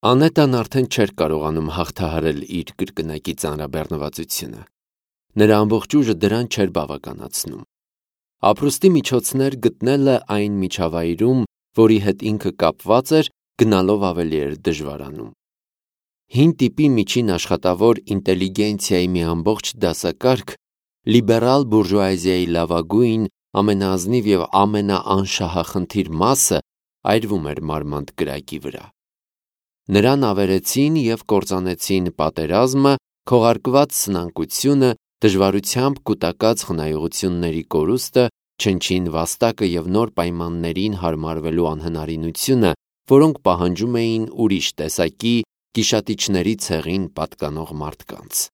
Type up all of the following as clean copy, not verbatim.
Անետան արդեն չէր կարողանում հաղթահարել իր կրկնակի ծանրաբեռնվածությունը։ Նրա ամբողջ ուժը դրան չէր բավականացնում։ Ապրուստի միջոցներ գտնելը այն միջավայրում, որի հետ ինքը կապված էր, գնալով ավելի էր դժվարանում։ Հին տիպի միջին աշխատավոր ինտելիգենցիայի մի ամբողջ դասակարգ լիբերալ բուրժուազիայի լավագույն, ամենաազնիվ և ամենաանշահախնդիր մասը այրվում էր մարմանդ կրակի վրա։ Նրան ավերեցին և կործանեցին պատերազմը, քողարկված սնանկությունը, դժվարությամբ կուտակած խնայողությունների կորուստը, չնչին վաստակը և նոր պայմաններին հարմարվելու անհնարինությունը, որոնք պահանջում էին ուրիշ տեսակի գիշատիչների ցեղին պատկանող մարդկանց։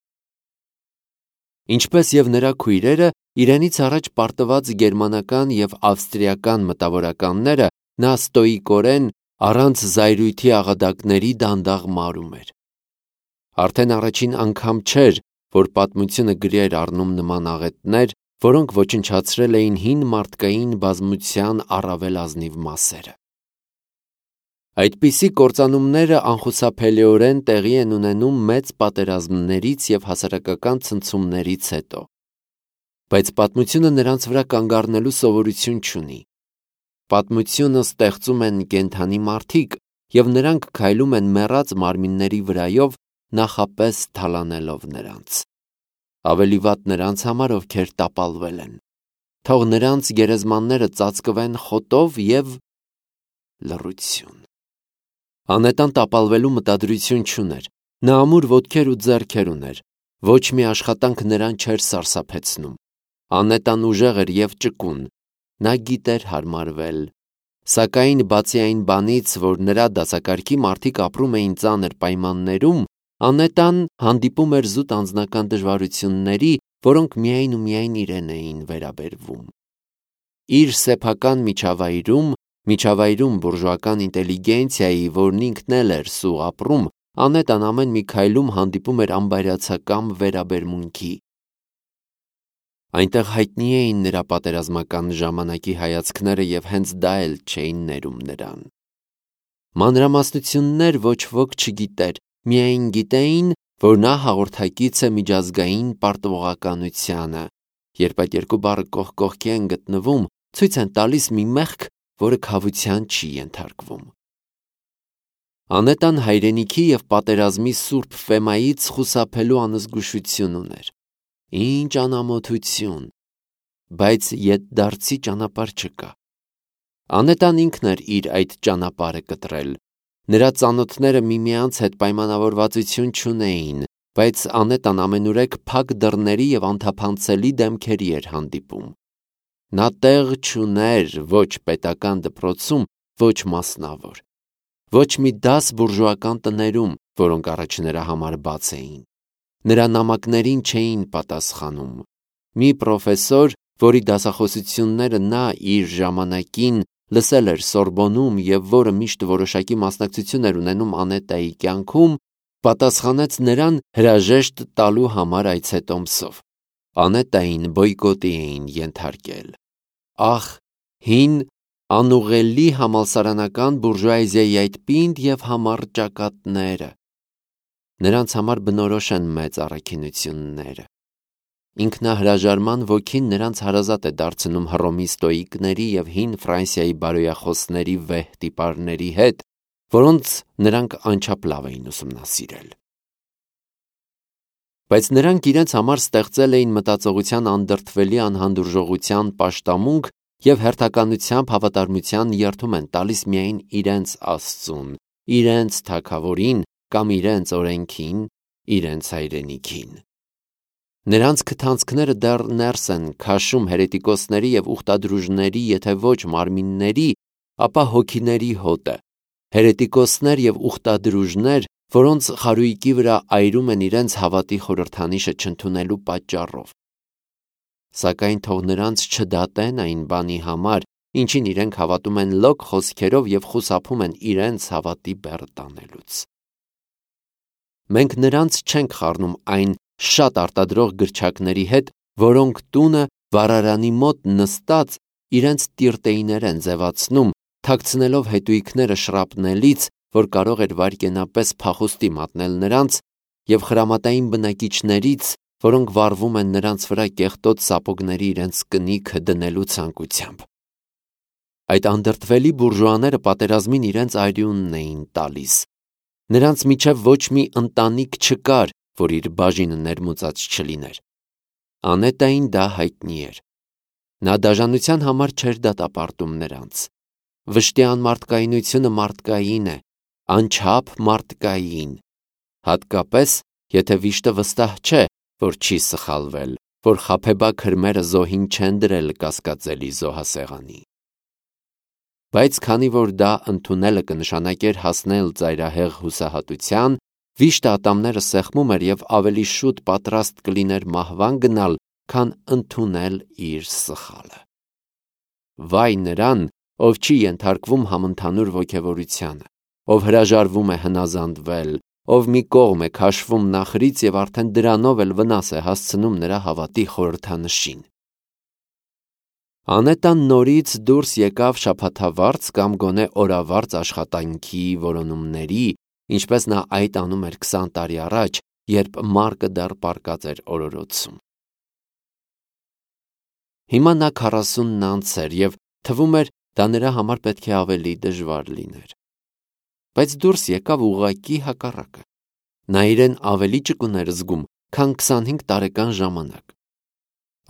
Ինչպես և նրա քույրերը, իրենից առաջ պարտված գերմանական և ավստրիական մտավորականները, նա ստոիկորեն, առանց զայրույթի աղադակների դանդաղ մարում էր։ Արդեն առաջին անգամ չէր, որ պատմությունը գրի էր առնում նման աղետներ, որոնք ոչնչացրել էին հին մարդկային բազմության առավել ազնիվ մասերը։ Այդպիսի կործանումները անխուսափելիորեն տեղի են ունենում մեծ պատերազմներից և հասարակական ցնցումներից հետո։ Բայց պատմությունը նրանց վրա կանգ առնելու սովորություն չունի։ Պատմությունը ստեղծում են կենդանի մարդիկ, և նրանք քայլում են մեռած մարմինների վրայով, նախապես թալանելով նրանց։ Ավելի վատ նրանց համար, ովքեր տապալվել են։ Թող նրանց գերեզմանները ծածկվեն խոտով և լռություն։ Անետան տապալվելու մտադրություն չուներ։ Նա ամուր ոտքեր ու ձեռքեր ուներ։ Ոչ մի աշխատանք նրան չէր սարսափեցնում։ Անետան ուժեղ էր և ճկուն։ Նա գիտեր հարմարվել։ Սակայն բացի այն բանից, որ նրա դասակարգի մարդիկ ապրում էին ծանր պայմաններում, Անետան հանդիպում էր զուտ անձնական դժվարությունների, որոնք միայն ու միայն իրեն էին վերաբերվում։ Իր սեփական միջավայրում բուրժուական ինտելիգենցիայի, որն ինքն էլ էր սուղ ապրում, Անետան ամեն մի քայլում հանդիպում էր անբայրացակամ վերաբերմունքի։ Այնտեղ հայտնի էին նրա պատերազմական ժամանակի հայացքները և հենց դա էլ չէին ներում նրան։ Մանրամասնություններ ոչ ոք չգիտեր, միայն գիտեին, որ նա հաղորդակից է միջազգային պարտվողականությանը։ Երբ այդ երկու բառը կողք կողքի են գտնվում, ցույց են տալիս մի մեղք, որը քավության չի ենթարկվում։ Անետան հայրենիքի և պատերազմի սուրբ ֆեմայից խուսափելու անզգուշություն ուներ։ Ինչ անամոթություն, բայց ետդարձի ճանապարհ չկա։ Անետան ինքն էր իր այդ ճանապարհը կտրել։ Նրա ծանոթները միմյանց հետ պայմանավորվածություն չունեին, բայց Անետան ամենուրեք փակ դռների և անթափանցելի դեմքերի էր հանդիպում։ Նա տեղ չուներ ոչ պետական դպրոցում, ոչ մասնավոր, ոչ մի դաս բուրժուական տներում, որոնք առաջ նրա համար բաց էին։ Նրա նամակներին չէին պատասխանում։ Մի պրոֆեսոր, որի դասախոսությունները նա իր ժամանակին լսել էր Սորբոնում և որը միշտ որոշակի մասնակցություն էր ունենում Անետայի կյանքում, պատասխանեց նրան հրաժեշտ տալու համար այցետոմսով։ Անետային բոյկոտի էին ենթարկել։ Ահ, հին, անուղղելի համալսարանական բուրժուազիայի այդ պինդ և համառ ճակատները։ Նրանց համար բնորոշ են մեծ առաքինությունները։ Ինքնահրաժարման ոգին նրանց հարազատ է դարձնում Հռոմի ստոիկների և հին Ֆրանսիայի բարոյախոսների վեհ տիպարների հետ, որոնց նրանք անչափ լավ էին ուսումնասիրել։ Բայց նրանք իրենց համար ստեղծել էին մտածողության անդրդվելի անհանդուրժողության պաշտամունք և հերթականությամբ հավատարմության երդում են տալիս միայն իրենց Աստծուն, իրենց թագավորին կամ իրենց օրենքին, իրենց հայրենիքին։ Նրանց քթանցքները դեռ ներս են քաշում հերետիկոսների և ուխտադրուժների, եթե ոչ մարմինների, ապա հոգիների հոտը, հերետիկոսներ և ուխտադրուժներ, որոնց խարույկի վրա այրում են իրենց հավատի խորհրդանիշը չընդունելու պատճառով։ Սակայն թող նրանց չդատեն այն բանի համար, ինչին իրենք հավատում են լոկ խոսքերով և խուսափում են իրենց հավատի բեռ տանելուց։ Մենք նրանց չենք խառնում այն շատ արտադրող գրչակների հետ, որոնք տունը վառարանի մոտ նստած իրենց տիրտեյներ են ձևացնում, թաքցնելով հետույքները շրապնելից որ կարող էր վայրկենապես փախուստի մատնել նրանց, և խրամատային բնակիչներից, որոնք վառվում են նրանց վրա կեղտոտ սապոգների իրենց կնիքը դնելու ցանկությամբ։ Այդ անդրդվելի բուրժուաները պատերազմին իրենց այրիունն էին տալիս։ Նրանց միջև ոչ մի ընտանիք չկար, որ իր բաժինը ներմուծած չլիներ։ Անետային դա հայտնի էր։ Նա դաժանության համար չէր դատապարտում նրանց։ Վշտի անմարդկայնությունը մարդկային է, անչափ մարդկային, հատկապես, եթե վիշտը վստահ չէ, որ չի սխալվել, որ խաբեբա քրմերը զոհին չեն դրել կասկածելի զոհասեղանի։ Բայց քանի որ դա ընդունելը կնշանակեր հասնել ծայրահեղ հուսահատության, վիշտը ատամները սեղմում էր և ավելի շուտ պատրաստ կլիներ մահվան գնալ, քան ընդունել իր սխալը։ Վայ նրան, ով չի ենթարկվում համընդհանուր ոգևորությանը, ով հրաժարվում է հնազանդվել, ով մի կողմ է քաշվում նախրից և արդեն դրանով էլ վնաս է հասցնում նրա հավատի խորհրդանշին։ Անետան նորից դուրս եկավ շաբաթավարձ կամ գոնե օրավարձ աշխատանքի որոնումների, ինչպես նա այդ անում էր 20 տարի առաջ, երբ Մարկը դեռ պառկած էր օրորոցում։ Հիմա նա 40-ն անց էր և թվում էր, դա նրա համար պետք է ավելի դժվար լիներ։ Բայց դուրս եկավ ուղղակի հակառակը։ Նա իրեն ավելի ճկուն էր զգում, քան 25 տարեկան ժամանակ։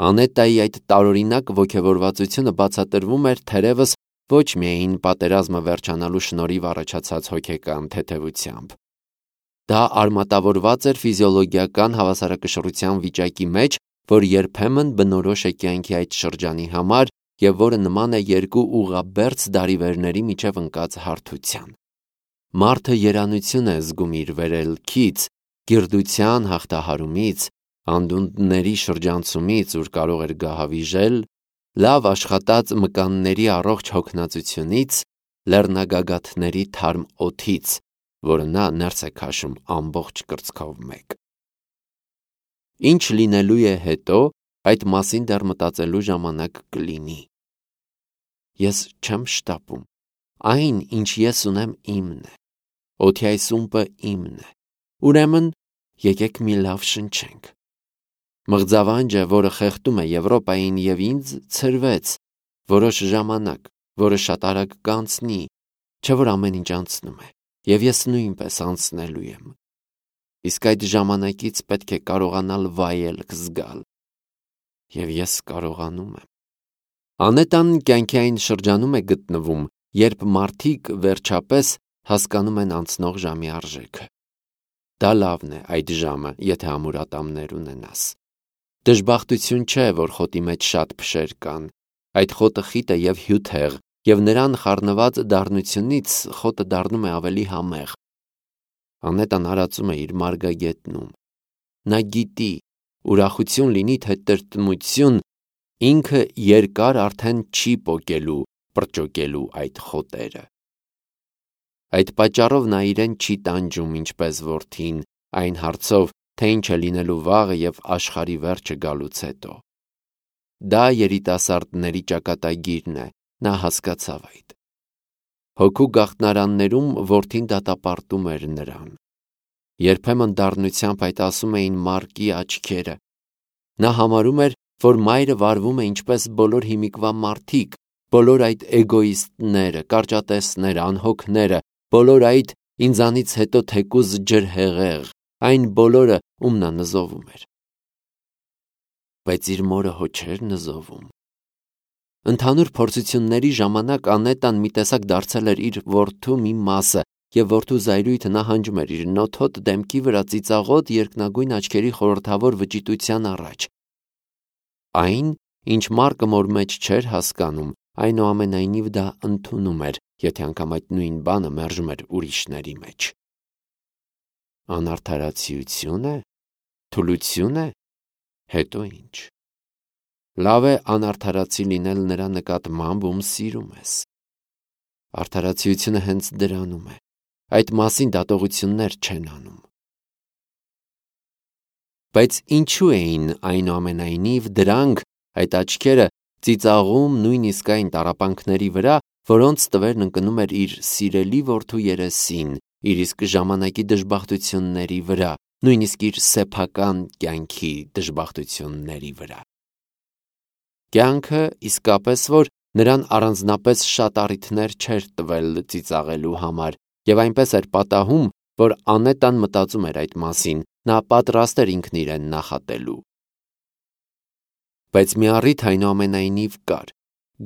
Անետայի այդ տարօրինակ ոգևորվածությունը բացատրվում էր թերևս ոչ միայն պատերազմը վերջանալու շնորհիվ առաջացած հոգեկան թեթևությամբ։ Դա արմատավորված էր ֆիզիոլոգիական հավասարակշռության վիճակի մեջ, որ երբեմն բնորոշ է կյանքի այդ շրջանի համար և որը նման է երկու ուղղաբերձ դարիվերների միջև ընկած հարթության։ Մարդը երանություն է զգում իր վերելքից, գիրդության հաղթահարումից, անդունդների շրջանցումից, ուր կարող էր գահավիժել, լավ աշխատած մկանների առողջ հոգնածությունից, լեռնագագաթների թարմ օդից, որը նա ներս է քաշում ամբողջ կրծքով մեկ։ Ինչ լինելու է հետո, այդ մասին դեռ մտածելու ժամանակ կլինի։ Ես չեմ շտապում։ Այն, ինչ ես ունեմ, իմն է։ Օդի այս ումպը իմն է։ Ուրեմն, եկեք մի լավ շնչենք։ Մղձավանջը, որը խեղդում է Եվրոպային և ինձ, ցրվեց, որոշ ժամանակ, որը շատ արագ կանցնի, չէ՞ որ ամեն ինչ անցնում է, և ես նույնպես անցնելու եմ։ Իսկ այդ ժամանակից պետք է կարողանալ վայելք զգալ։ Եվ ես կարողանում եմ։ Անետան կյանքի այն շրջանում է գտնվում, երբ մարդիկ վերջապես հասկանում են անցնող ժամի արժեքը։ Դա լավն է այդ ժամը, եթե ամուր ատամներ ունենաս։ Դժբախտություն չէ, որ խոտի մեջ շատ փշեր կան։ Այդ խոտը խիտ է և հյութեղ, և նրան խառնված դառնությունից խոտը դառնում է ավելի համեղ։ Անետան արածում է իր մարգագետնում։ Նա գիտի, ուրախություն լինի թե տրտմություն, ինքը երկար արդեն չի պոկելու, պրճոկելու այդ խոտերը։ Այդ պատճառով նա իրեն չի տանջում ինչպես որդին, այն հարցով, թե ինչ է լինելու վաղը և աշխարհի վերջը գալուց հետո։ Դա երիտասարդների ճակատագիրն է, նա հասկացավ այդ։ Հոգու գաղտնարաններում որդին դատապարտում էր նրան։ Երբեմն դառնությամբ այդ ասում էին Մարկի աչքերը։ Նա համարում էր, որ մայրը վարվում է ինչպես բոլոր հիմիկվա մարդիկ, բոլոր այդ էգոիստները, կարճատեսները, անհոգները, բոլոր այդ ինձանից հետո թեկուզ ջրհեղեղ, այն բոլորը, ում նա նզովում էր։ Բայց իր մորը հո չէր նզովում։ Ընդհանուր փորձությունների ժամանակ Անետան մի տեսակ դարձել էր իր որդու մի մասը, և որդու զայրույթը նահանջում էր իր նոթոտ դեմքի վրա ծիծաղոտ երկնագույն աչքերի խորհրդավոր վճիտության առաջ։ Այն, ինչ Մարկը մոր մեջ չէր հասկանում, այնուամենայնիվ դա ընդունում էր, եթե անգամ այդ նույն բանը մերժում էր ուրիշների մեջ։ Անարդարացիություն է։ Թուլություն է։ Հետո ինչ։ Լավ է անարդարացի լինել նրա նկատմամբ, ում սիրում ես։ Արդարացիությունը հենց դրանում է։ Այդ մասին դատողություններ չեն անում։ Բայց ինչու էին այնուամենայնիվ դրանք, այդ աչքերը, ծիծաղում նույնիսկ այն տառապանքների վրա, որոնց տվերն ընկնում էր իր սիրելի որդու երեսին, իր իսկ ժամանակի դժբախտությունների վրա, նույնիսկ իր սեփական կյանքի դժբախտությունների վրա։ Կյանքը իսկապես որ նրան առանձնապես շատ առիթներ չէր տվել ծիծաղելու համար, եւ այնպես էր պատահում, որ Անետան մտածում էր այդ մասին, նա պատրաստ էր ինքն իրեն նախատելու։ Բայց մի առիթ այնուամենայնիվ կար,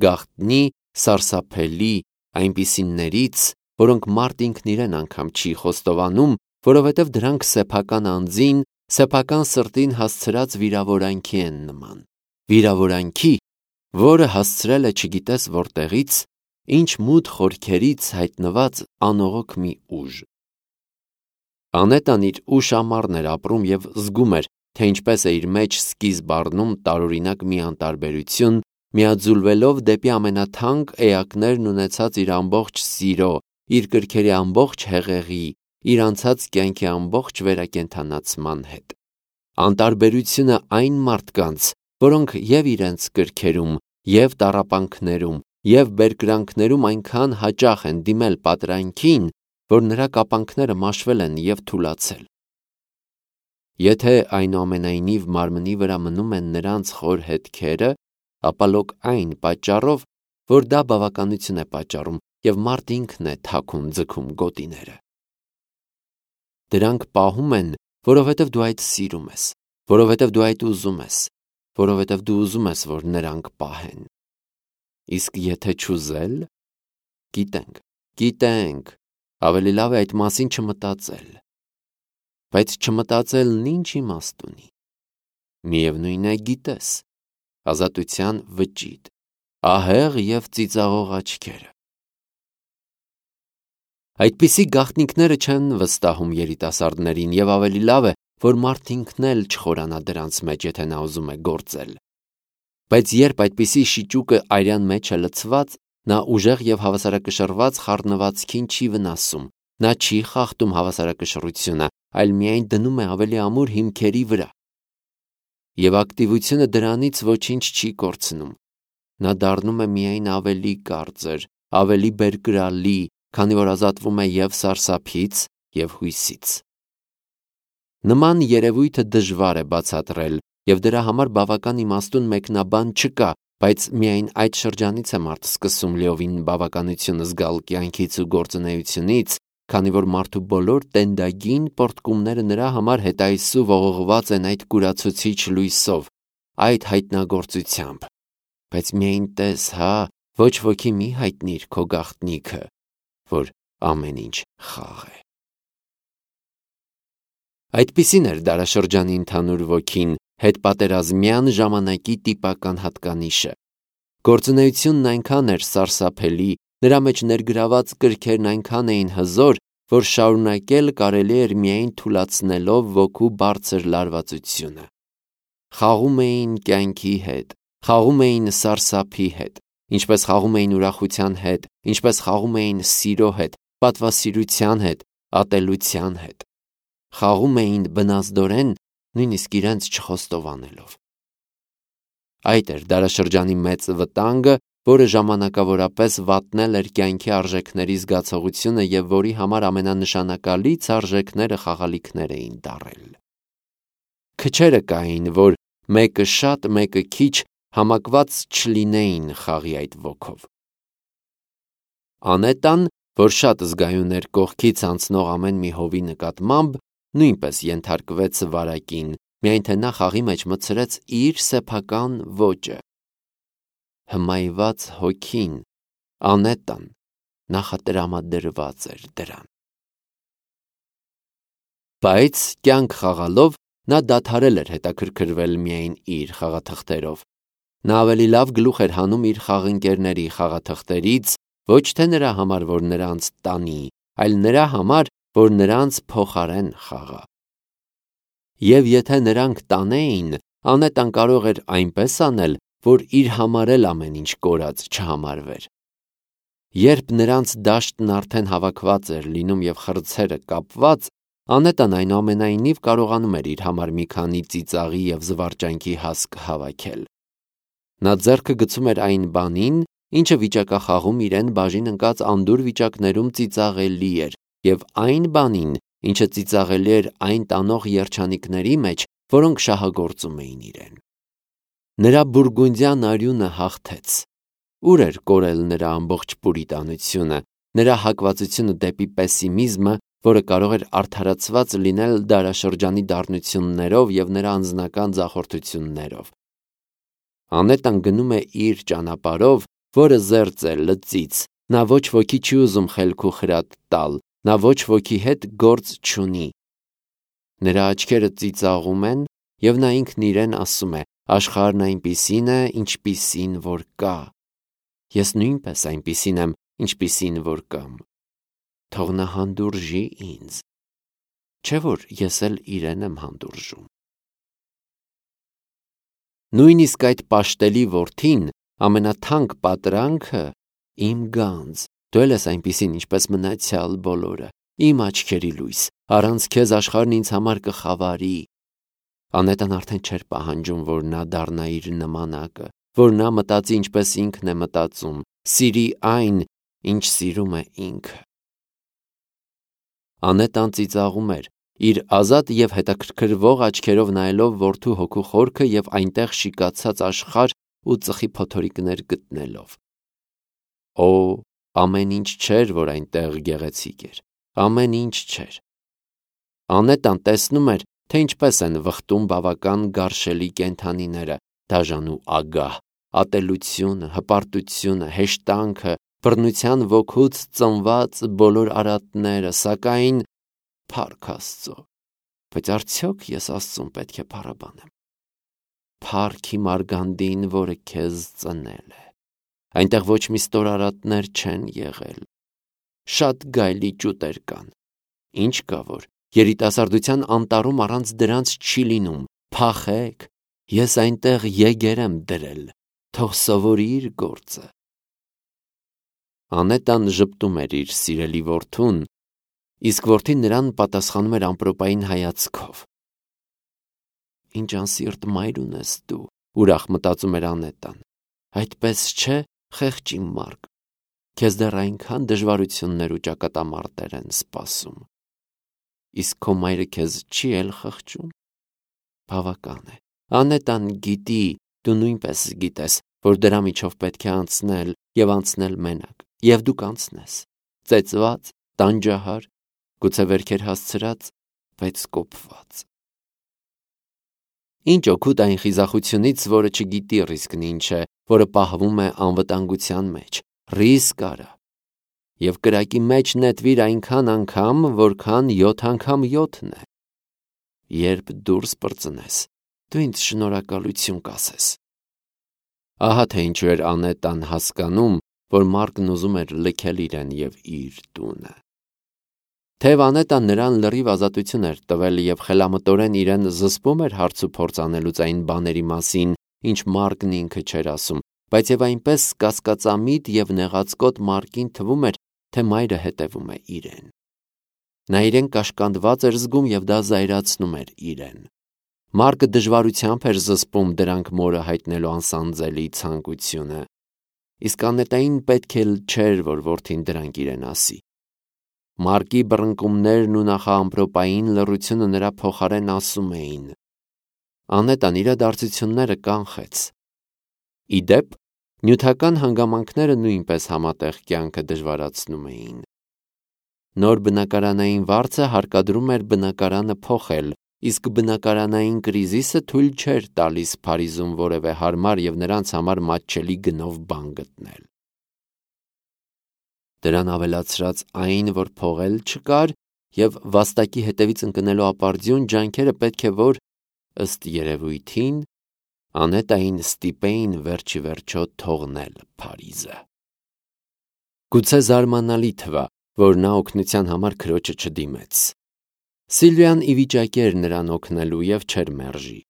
գաղտնի, սարսափելի, այնպիսիներից, որոնք մարդ ինքն իրեն անգամ չի խոստովանում, որովհետև դրանք սեփական անձին, սեփական սրտին հասցրած վիրավորանքի են նման։ Վիրավորանքի, որը հասցրել է չգիտես որտեղից, ինչ մութ խորքերից հայտնված անողոք մի ուժ։ Անետան իր ուշ ամառն էր ապրում եւ զգում էր, թե ինչպես է իր մեջ սկիզբ առնում տարօրինակ մի անտարբերություն, միաձուլվելով դեպի ամենաթանկ էակներն ունեցած իր ամբողջ սիրո, իր կրքերի ամբողջ հեղեղի, իր անցած կյանքի ամբողջ վերակենդանացման հետ։ Անտարբերությունը այն մարդկանց, որոնք եւ իրենց կրքերում, եւ տառապանքներում, եւ բերկրանքներում այնքան հաճախ են դիմել պատրանքին, որ նրա կապանքները մաշվել են եւ թուլացել։ Եթե այնուամենայնիվ մարմնի վրա մնում են նրանց խոր հետքերը, ապա լոկ այն պատճառով, որ դա բավականություն է պատճառում եւ մարդ ինքն է թաքուն ձգում գոտիները։ Դրանք պահում են, որովհետև դու այդ սիրում ես, որովհետև դու այդ ուզում ես, որովհետև դու ուզում ես, որ նրանք պահեն։ Իսկ եթե չուզել, գիտենք, ավելի լավ է այդ մասին չմտածել։ Բայց չմտածելն ինչ իմաստ ունի։ Միևնույն է գիտես, ազատության վճիտ, ահեղ եւ ծիծաղող աչքերը։ Այդպիսի գաղտնիքները չեն վստահում երիտասարդներին եւ ավելի լավ է, որ մարդ ինքն էլ չխորանա դրանց մեջ, եթե նա ուզում է գործել։ Բայց երբ այդպիսի շիճուկը արյան մեջ է լցված, նա ուժեղ եւ հավասարակշռված խառնվածքին չի վնասում, նա չի խախտում հավասարակշռությունը, այլ միայն դնում է ավելի ամուր հիմքերի վրա։ Եվ ակտիվությունը դրանից ոչինչ չի կորցնում։ Նա դառնում է միայն ավելի կարծր, ավելի բերկրալի, քանի որ ազատվում է եւ սարսափից, եւ հույսից։ Նման երևույթը դժվար է բացատրել, եւ դրա համար բավական իմաստուն մեկնաբան չկա, բայց միայն այդ շրջանից է մարդ սկսում լիովին բավականություն զգալ կյանքից ու գործունեությունից, քանի որ մարդու բոլոր տենդագին պորտկումները նրա համար հետայսու ողողված են այդ կուրացուցիչ լույսով, այդ հայտնագործությամբ։ Բայց միայն տես, ոչ ոքի մի հայտնիր քո գաղտնիքը, որ ամեն ինչ խաղ է։ Այդպիսին էր դարաշրջանի ընդհանուր ոգին, հետպատերազմյան ժամանակի տիպական հատկանիշը։ Գործունեությունն այնքան էր սարսափելի, նրա մեջ ներգրաված կրքերն այնքան էին հզոր, որ շարունակել կարելի էր միայն թուլացնելով ոգու բարձր լարվածությունը։ Խաղում էին կյանքի հետ, խաղում էին սարսափի հետ, ինչպես խաղում էին ուրախության հետ, ինչպես խաղում էին սիրո հետ, պատվասիրության հետ, ատելության հետ։ Խաղում էին բնազդորեն, նույնիսկ իրենց չխոստովանելով։ Այդ էր դարաշրջանի մեծ վտանգը, որը ժամանակավորապես վատնել էր կյանքի արժեքների զգացողությունը եւ որի համար ամենանշանակալից արժեքները խաղալիքներ էին դառել։ Քչերը կային, որ մեկը շատ, մեկը քիչ համակված չլինեին խաղի այդ ոգով։ Անետան, որ շատ զգայուն էր կողքից անցնող ամեն մի հովի նկատմամբ, նույնպես ենթարկվեց վարակին, միայն թե նա խաղի մեջ մտցրեց իր սեփական ոճը։ Հմայված հոգին, Անետան, նախատրամադրված էր դրան։ Բայց կյանք խաղալով նա դադարել էր հետաքրքրվել միայն իր խաղաթղթերով։ Նա ավելի լավ գլուխ էր հանում իր խաղընկերների խաղաթղթերից, ոչ թե նրա համար, որ նրանց տանի, այլ նրա համար, որ նրանց փոխարեն խաղա։ Եվ եթե նրանք տանեին, Անետան կարող էր այնպես անել, որ իր համար էլ ամեն ինչ կորած չհամարվեր։ Երբ նրանց դաշտն արդեն հավաքված էր լինում եւ խրձերը կապված, Անետան այնուամենայնիվ կարողանում էր իր համար մի քանի ծիծաղի եւ զվարճանքի հասկ հավաքել։ Նա ձեռքը գցում էր այն բանին, ինչը վիճակախաղում իրեն բաժին ընկած անդուր վիճակներում ծիծաղելի էր, և այն բանին, ինչը ծիծաղելի էր այն տանող երջանիկների մեջ, որոնք շահագործում էին իրեն։ Նրա բուրգունդյան արյունը հաղթեց։ Ուր էր կորել նրա ամբողջ պուրիտանությունը, նրա հակվածությունը դեպի պեսիմիզմը, որը կարող էր արդարացված լինել դարաշրջանի դառնություններով և նրա անձնական ձախորդություններով։ Անետան գնում է իր ճանապարհով, որը զերծ է լծից, նա ոչ ոքի չի ուզում խելք ու խրատ տալ, նա ոչ ոքի հետ գործ չունի։ Նրա աչքերը ծիծաղում են, և նա ինքն իրեն ասում է. աշխարհն այնպիսին է, ինչպիսին որ կա։ Ես նույնպես այնպիսին եմ, ինչպիսին որ կամ։ Թող նա հանդուրժի ինձ, չէ՞ որ ես էլ իրեն եմ հանդուրժում։ Նույնիսկ այդ պաշտելի որդին, ամենաթանկ պատրանքը, իմ գանձ, դու էլ ես այնպիսին, ինչպես մնացյալ բոլորը, իմ աչքերի լույս, առանց քեզ աշխարհն ինձ համար կխավարի։ Անետան արդեն չէր պահանջում, որ նա դառնա իր նմանակը, որ նա մտածի ինչպես ինքն է մտածում, սիրի այն, ինչ սիրում է ինքը։ Անետան ծիծաղում էր, իր ազատ և հետաքրքրվող աչքերով նայելով որդու հոգու խորքը և այնտեղ շիկացած աշխարհ ու ծխի փոթորիկներ գտնելով։ Օ, ամեն ինչ չէր, որ այնտեղ գեղեցիկ էր, ամեն ինչ չէր։ Անետան տեսնում էր, թե ինչպես են վխտում բավական գարշելի կենդանիները, դաժան ու ագահ, ատելությունը, հպարտությունը, հեշտանքը, բռնության ոգուց ծնված բոլոր արատները, սակայն, փառք Աստծո, բայց արդյոք ես Աստծուն պետք է փառաբանեմ։ Փառք իմ արգանդին, որը քեզ ծնել է։ Այնտեղ ոչ մի ստոր արատներ չեն եղել։ Շատ գայլի ճուտեր կան։ Ինչ կա որ, երիտասարդության անտառում առանց դրանց չի լինում։ Փախեք, ես այնտեղ եգեր եմ դրել, թող սովորի իր գործը։ Անետան ժպտում էր իր սիրելի որդուն, իսկ որդին նրան պատասխանում էր ամպրոպային հայացքով։ Ինչ անսիրտ մայր ունես դու, ուրախ մտածում էր Անետան։ Այդպես չէ, խեղճ իմ Մարկ, քեզ դեռ այնքան դժվարություններ ու ճակատամարտեր են սպասում։ Իսկ քո մայրը քեզ չի էլ խղճում։ Բավական է։ Անետան գիտի, դու նույնպես գիտես, որ դրա միջով պետք է անցնել և անցնել մենակ, և դու կանցնես, ծեծված, տանջահար, գուցե վերքեր հասցրած, բայց կոփված։ Ինչ օգուտ այն խիզախությունից, որը չգիտի ռիսկն ինչ է, որը պահվում է անվտանգության մեջ, ռիսկ արա, և կրակի մեջ նետվիր այնքան անգամ, որքան 7 անգամ 7-ն է։ Երբ դուրս պրծնես, դու ինձ շնորհակալություն կասես։ Ահա թե ինչու էր Անետան հասկանում, որ Մարկն ուզում էր լքել իրեն և իր տունը։ Թեև Անետան նրան լրիվ ազատություն էր տվել և խելամտորեն իրեն զսպում էր հարց ու փորձ անելուց այն բաների մասին, ինչ Մարկն ինքը չէր ասում, բայց և այնպես կասկածամիտ և նեղացկոտ Մարկին թվում էր, թե մայրը հետևում է իրեն։ Նա իրեն կաշկանդված էր զգում և դա զայրացնում էր իրեն։ Մարկը դժվարությամբ էր զսպում դրանք մորը հայտնելու անսանձելի ցանկությունը։ Իսկ Անետային պետք էլ չէր, որ որդին դրանք իրեն ասի։ Մարկի բռնկումներն ու նախաամպրոպային լռությունը նրա փոխարեն ասում էին։ Անետան իրադարձությունները կանխեց։ Ի դեպ, նյութական հանգամանքները նույնպես համատեղ կյանքը դժվարացնում էին։ Նոր բնակարանային վարձը հարկադրում էր բնակարանը փոխել, իսկ բնակարանային կրիզիսը թույլ չէր տալիս Փարիզում որևէ հարմար և նրանց համար մատչելի գնով բան գտնել։ Դրան ավելացրած այն, որ փողել չկար և վաստակի հետևից ընկնելու ապարդյուն ջանքերը պետք է որ, ըստ երևույթին, Անետային ստիպեին վերջի վերջո թողնել Փարիզը։ Գուցե զարմանալի թվա, որ նա օգնության համար քրոջը չդիմեց։ Սիլվիան ի վիճակի էր նրան օգնելու և չէր մերժի։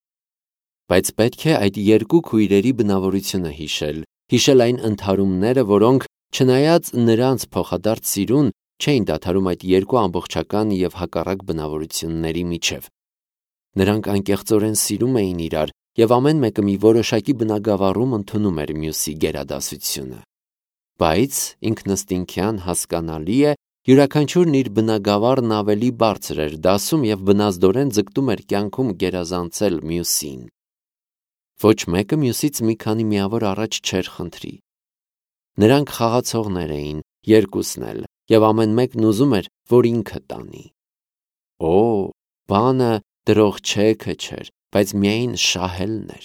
Բայց պետք է այդ երկու քույրերի բնավորությունը հիշել այն ընդհարումները, որոնք, չնայած նրանց փոխադարձ սիրուն, չէին դադարում այդ երկու ամբողջական և հակառակ բնավորությունների միջև։ Նրանք անկեղծորեն սիրում էին իրար, և ամեն մեկը մի որոշակի բնագավառում ընդունում էր մյուսի գերադասությունը։ Բայց ինքնըստինքյան հասկանալի է, յուրաքանչյուրն իր բնագավառն ավելի բարձր էր դասում և բնազդորեն ձգտում էր կյանքում գերազանցել մյուսին։ Ոչ մեկը մյուսից մի քանի միավոր առաջ չէր խնդրի։ Նրանք խաղացողներ էին, երկուսն էլ, և ամեն մեկն ուզում էր, որ ինքը տանի։ Օ, բանը դրող չեքը չէր, բայց միայն շահելն էր։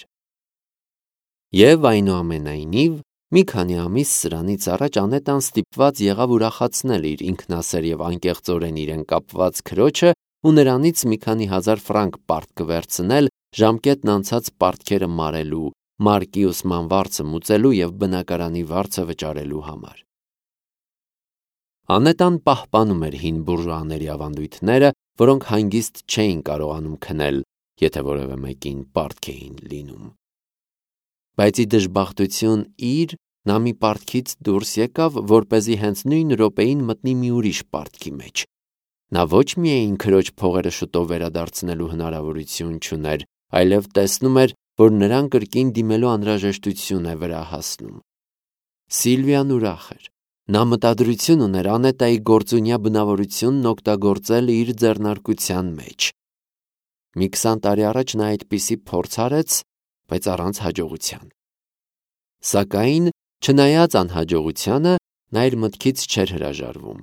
Եվ այնուամենայնիվ, մի քանի ամիս սրանից առաջ Անետան ստիպված եղավ ուրախացնել իր ինքնասեր և անկեղծորեն իրեն կապված քրոջը ու նրանից մի քանի հազար ֆրանկ պարտք վերցնել ժամկետն անցած պարտքերը մարելու, մարկի ուսման վարձը մուծելու և բնակարանի վարձը վճարելու համար։ Անետան պահպանում էր հին բուրժուաների ավանդույթները, որոնք հանգիստ չէին կարողանում քնել, եթե որևէ մեկին պարտք էին լինում։ Բայց ի դժբախտություն իր, նա մի պարտքից դուրս եկավ, որպեսզի հենց նույն րոպեին մտնի մի ուրիշ պարտքի մեջ։ Նա ոչ միայն քրոջ փողերը շուտով վերադարձնելու հնարավորություն չուներ, այլև տեսնում էր, որ նրան կրկին դիմելու անհրաժեշտություն է վրա հասնում։ Սիլվիան ուրախ էր։ Նա մտադրություն ուներ Անետայի գործունյա բնավորությունն օգտագործել իր ձեռնարկության մեջ։ Մի 20 տարի առաջ նա այդպիսի փորձ արեց, բայց առանց հաջողության։ Սակայն, չնայած անհաջողությանը, նա իր մտքից չէր հրաժարվում։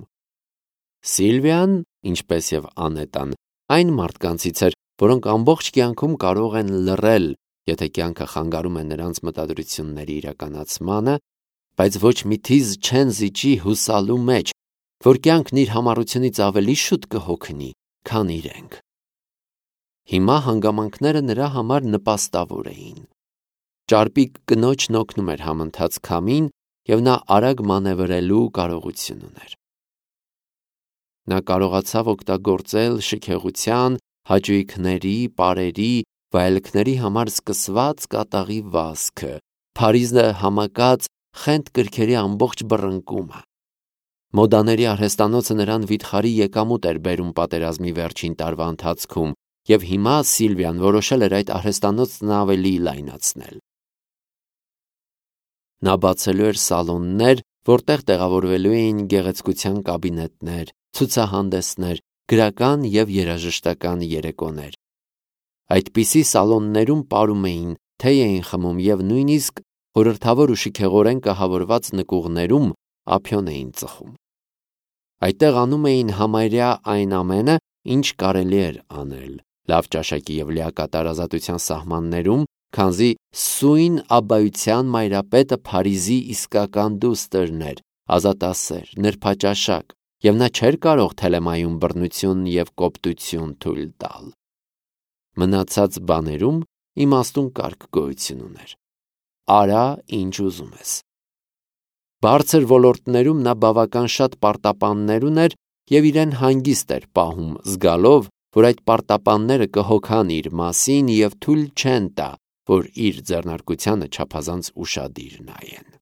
Սիլվիան, ինչպես և Անետան, այն մարդկանցից էր, որոնք ամբողջ կյանքում կարող են լռել, եթե կյանքը խանգարում է նրանց մտադրությունների իրականացմանը, բայց ոչ մի թիզ չեն զիջի հուսալու մեջ, որ կյանքն իր համառությունից ավելի շուտ կհոգնի, քան իրենք։ Հիմա հանգամանքները նրա համար նպաստավոր էին։ Ճարպիկ կնոջն օգնում էր համընթաց քամին, և նա արագ մանևրելու կարողություն ուներ։ Նա կարողացավ օգտագործել շքեղության, հաճույքների, պարերի, վայելքների համար սկսված կատաղի վազքը, Փարիզը համակած խենթ կրքերի ամբողջ բռնկումը։ Մոդաների արհեստանոցը նրան վիթխարի եկամուտ էր բերում պատերազմի վերջին տարվա ընթացքում, և հիմա Սիլվիան որոշել էր այդ արհեստանոցն ավելի լայնացնել։ Նա բացելու էր սալոններ, որտեղ տեղավորվելու էին գեղեցկության կաբինետներ, ցուցահանդեսներ, գրական և երաժշտական երեկոներ։ Այդպիսի սալոններում պարում էին, թեյ էին խմում և նույնիսկ խորհրդավոր ու շքեղորեն կահավորված նկուղներում ափիոն էին ծխում։ Այդտեղ անում էին համարյա այն ամենը, ինչ կարելի էր անել, լավ ճաշակի և լիակատար ազատության սահմաններում, քանզի սույն աբբայության մայրապետը Փարիզի իսկական դուստրն էր, ազատասեր, նրբաճաշակ, և նա չէր կարող թելեմայում բռնություն և կոպտություն թույլ տալ։ Մնացած բաներում իմաստուն կարգ գոյություն ուներ։ Արա, ինչ ուզում ես։ Բարձր ոլորտներում նա բավական շատ պարտապաններ ուներ և իրեն հանգիստ էր պահում, զգալով, որ այդ պարտապանները կհոգան իր մասին և թույլ չեն տա, որ իր ձեռնարկությանը չափազանց ուշադիր նայեն։